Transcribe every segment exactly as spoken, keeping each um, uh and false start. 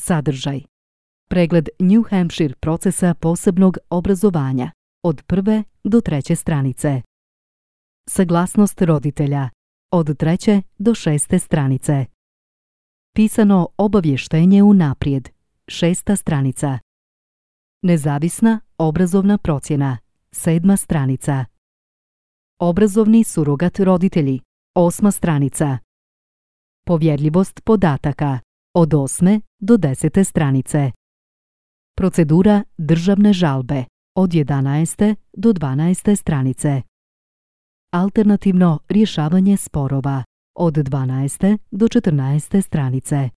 Sadržaj. Pregled New Hampshire procesa posebnog obrazovanja od prve do treće stranice. Saglasnost roditelja od treće do šeste stranice. Pisano obavještenje unaprijed šesta stranica. Nezavisna obrazovna procjena sedma stranica. Obrazovni surogat roditelji osma stranica. Povjerljivost podataka od osme do desete stranice. Procedura državne žalbe od jedanaeste do dvanaeste stranice. Alternativno rješavanje sporova od dvanaeste do četrnaeste stranice.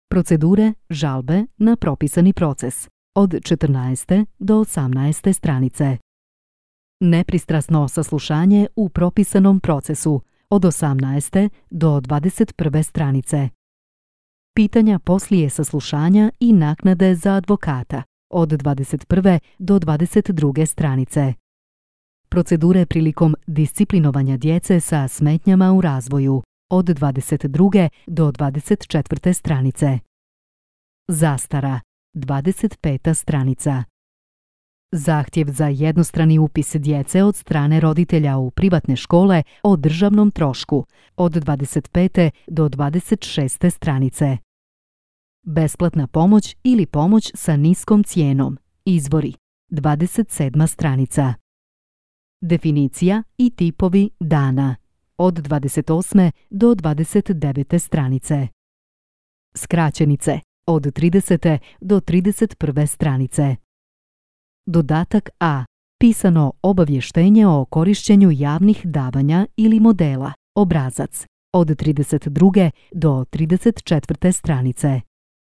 Procedure žalbe na propisani proces od četrnaeste do osamnaeste stranice. Nepristrasno saslušanje u propisanom procesu od osamnaeste do dvadeset prve stranice. Pitanja poslije saslušanja i naknade za advokata od dvadeset prve do dvadeset druge stranice. Procedure prilikom disciplinovanja djece sa smetnjama u razvoju od dvadeset druge do dvadeset četvrte stranice. Zastara dvadeset peta stranica. Zahtjev za jednostrani upis djece od strane roditelja u privatne škole o državnom trošku od dvadeset pete do dvadeset šeste stranice. Besplatna pomoć ili pomoć sa niskom cijenom. Izvori dvadeset sedma stranica. Definicija i tipovi dana od dvadeset osme do dvadeset devete stranice. Skraćenice od tridesete do trideset prve stranice. Dodatak A. Pisano obavještenje o korištenju javnih davanja ili modela, obrazac, od trideset druge do trideset četvrte stranice.